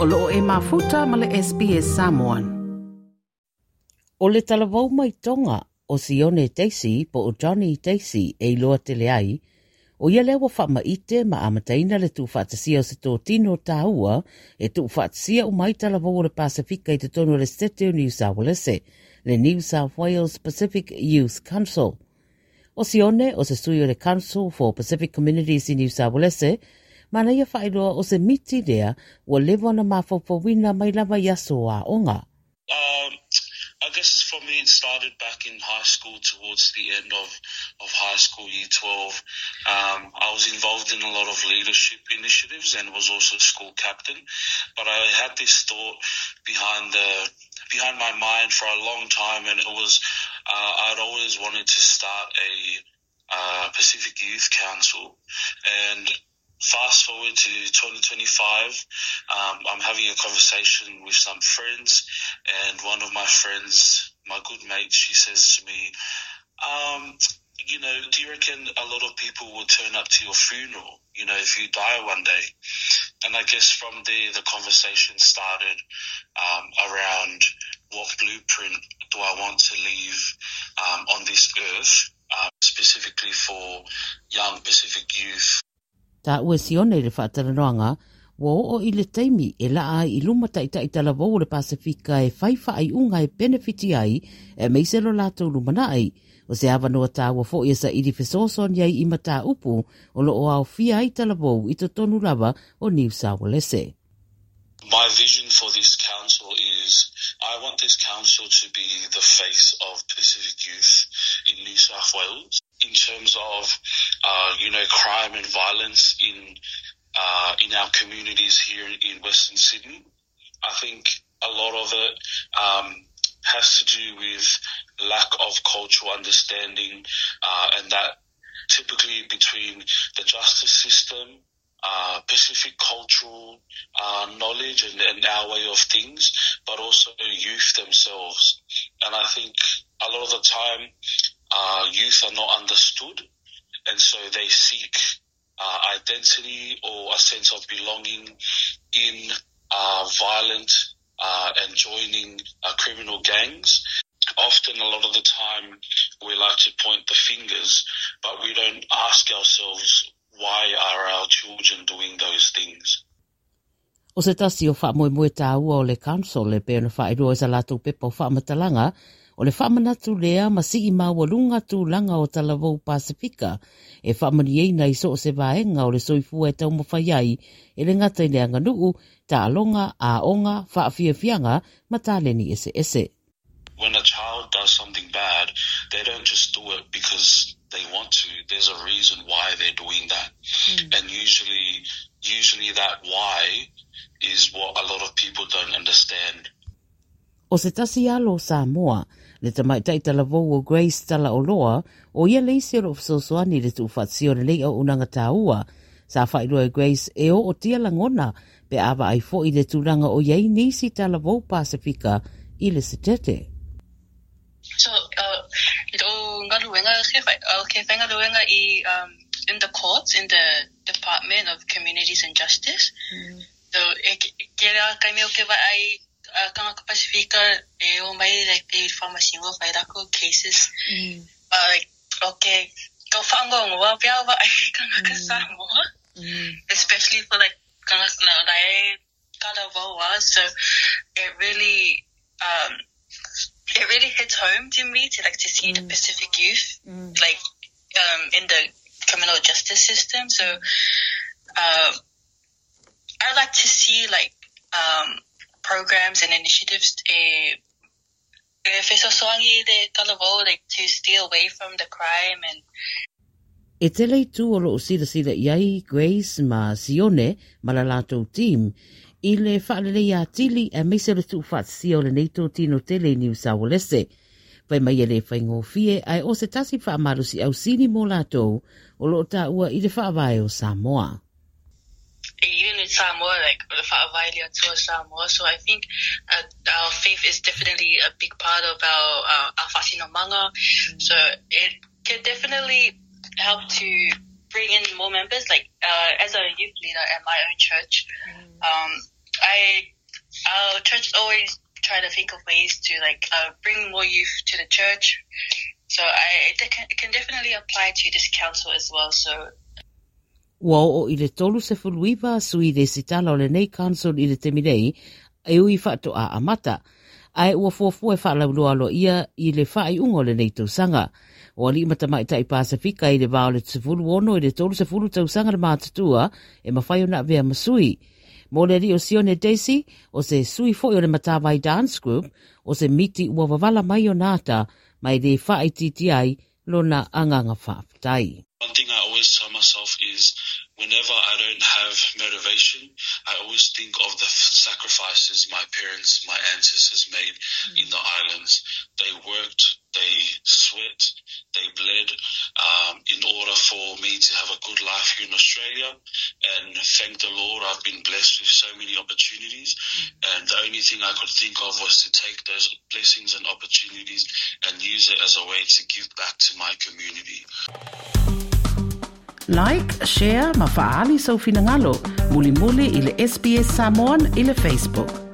O loo e mafuta ma le SBS Samoan. O le talavou mai Tonga o Sione Daisy po o Johnny Daisy e iloa tele ai, o ia lea ua faamaite ma amataina le tuufaatasia o se totino tāua e tuufaatasia uma ai talavou o le Pasefika i totonu o le Setete o Niu Saualese, le New South Wales Pacific Youth Council. O Sione o se sui o le Council for Pacific Communities i Niu Saualese, ma na ia faailoa o se miti lea ua leva ona mafaufauina mai lava i aso o aoga. I guess for me it started back in high school towards the end of, of high school, year 12. I was involved in a lot of leadership initiatives and was also school captain. But I had this thought behind the behind my mind for a long time and it was I'd always wanted to start a Pacific Youth Council. And fast forward to 2025, I'm having a conversation with some friends, and one of my friends, my good mate, she says to me, you know, do you reckon a lot of people will turn up to your funeral, you know, if you die one day? And I guess from there, the conversation started around what blueprint do I want to leave on this earth, specifically for young Pacific youth. Taua e Sione i le faatalanoaga, ua oo i le taimi e laa ai i luma taitai talavou o le Pasefika e fai faaiuga e penefiti ai aemaise lo latou lumanai. O se avanoa taua foi e saili fesoasoani ai i mataupu o lo o aofia ai talavou i totonu lava o Niu Saualese. My vision for this council is I want this council to be the face of Pacific youth in New South Wales in terms of, you know, crime and violence in in our communities here in Western Sydney. I think a lot of it has to do with lack of cultural understanding and that typically between the justice system, Pacific cultural knowledge and, and our way of things, but also youth themselves. And I think a lot of the time, youth are not understood, and so they seek identity or a sense of belonging in violent and joining criminal gangs. Often, a lot of the time, we like to point the fingers, but we don't ask ourselves why are our children doing those things. O se tasi o faamoemoe tāua o le council e pei ona faailoa i sa latou pepa o faamatalaga, o le faamanatu lea ma sii maualuga tulaga o talavou Pasefika e faamanuiaina i so o se vaega o le soifua e taumafai ai e le gata i le aganuu, taaloga, aoga, faafiafiaga ma taleni eseese. When a child does something bad, they don't just do it because they want to. There's a reason why they're doing that. And usually, usually that why is what a lot of people don't understand. O se tasi alo o Samoa, le tamaitai talavou o Grace Talaoloa, o ia le isi o lo o fesoasoani i le tuufaatasia o lenei auaunaga taua. Sa faailoa e Grace e ootia lagona pe a vaai foi i le tulaga o i ai nisi talavou Pasefika i le Setete. So, o galuega, ke whai i in the courts, in the Department of Communities and Justice. So, e ke rea kai mea o ke vaai kangaka Pasifika e o mai like e whamasingo whai rako cases. But like, okay, ko whangongoa pia vaai kangaka Samoa. Especially for like kangaka na rae kalavoa. So it really hits home to me to like to see the Pacific youth like in the criminal justice system. So I like to see like programs and initiatives e e fesoasoani le talavou like to steer away from the crime and E tele itu o loo silasila i ai Grace ma Sione ma la latou team i le faalelei atili aemaise o le tuufaatasia o lenei totino tele i Niu Saualese. Fai mai e le faigofie ae o se tasi faamalosiau sili mo latou o loo taua i le faavae o Samoa. Even in Samoa, like the fa'avae le Atua Samoa. So I think our faith is definitely a big part of our faasinomaga. So it can definitely help to bring in more members. Like as a youth leader at my own church, I our church always try to think of ways to like uh, bring more youth to the church. So I it can, it can definitely apply to this council as well. So Ua oo i le 39 sui resitala o lenei council i le taimi nei e ui faatoa amata, ae ua fuafua e faalauiloa aloaia i le faaiuga o lenei tausaga. O alii ma tamaitai Pasefika i le va o le 16 i le 30 tausaga le matutua e mafai ona avea ma sui. Mo le alii o Sione Daisy, o se sui foi o le Matavai Dance Group, o se miti ua wavala mai ona ata, ma e le faaitiitia ai lona agaga faafetai. One thing I always tell myself is whenever I don't have motivation, I always think of the sacrifices my parents, my ancestors made in the islands. They worked, they sweat, they bled um, in order for me to have a good life here in Australia. And thank the Lord, I've been blessed with so many opportunities. And the only thing I could think of was to take those blessings and opportunities and use it as a way to give back to my community. Like, share ma faaali sou finagalo. Mulimuli i le SBS Samoan i le Facebook.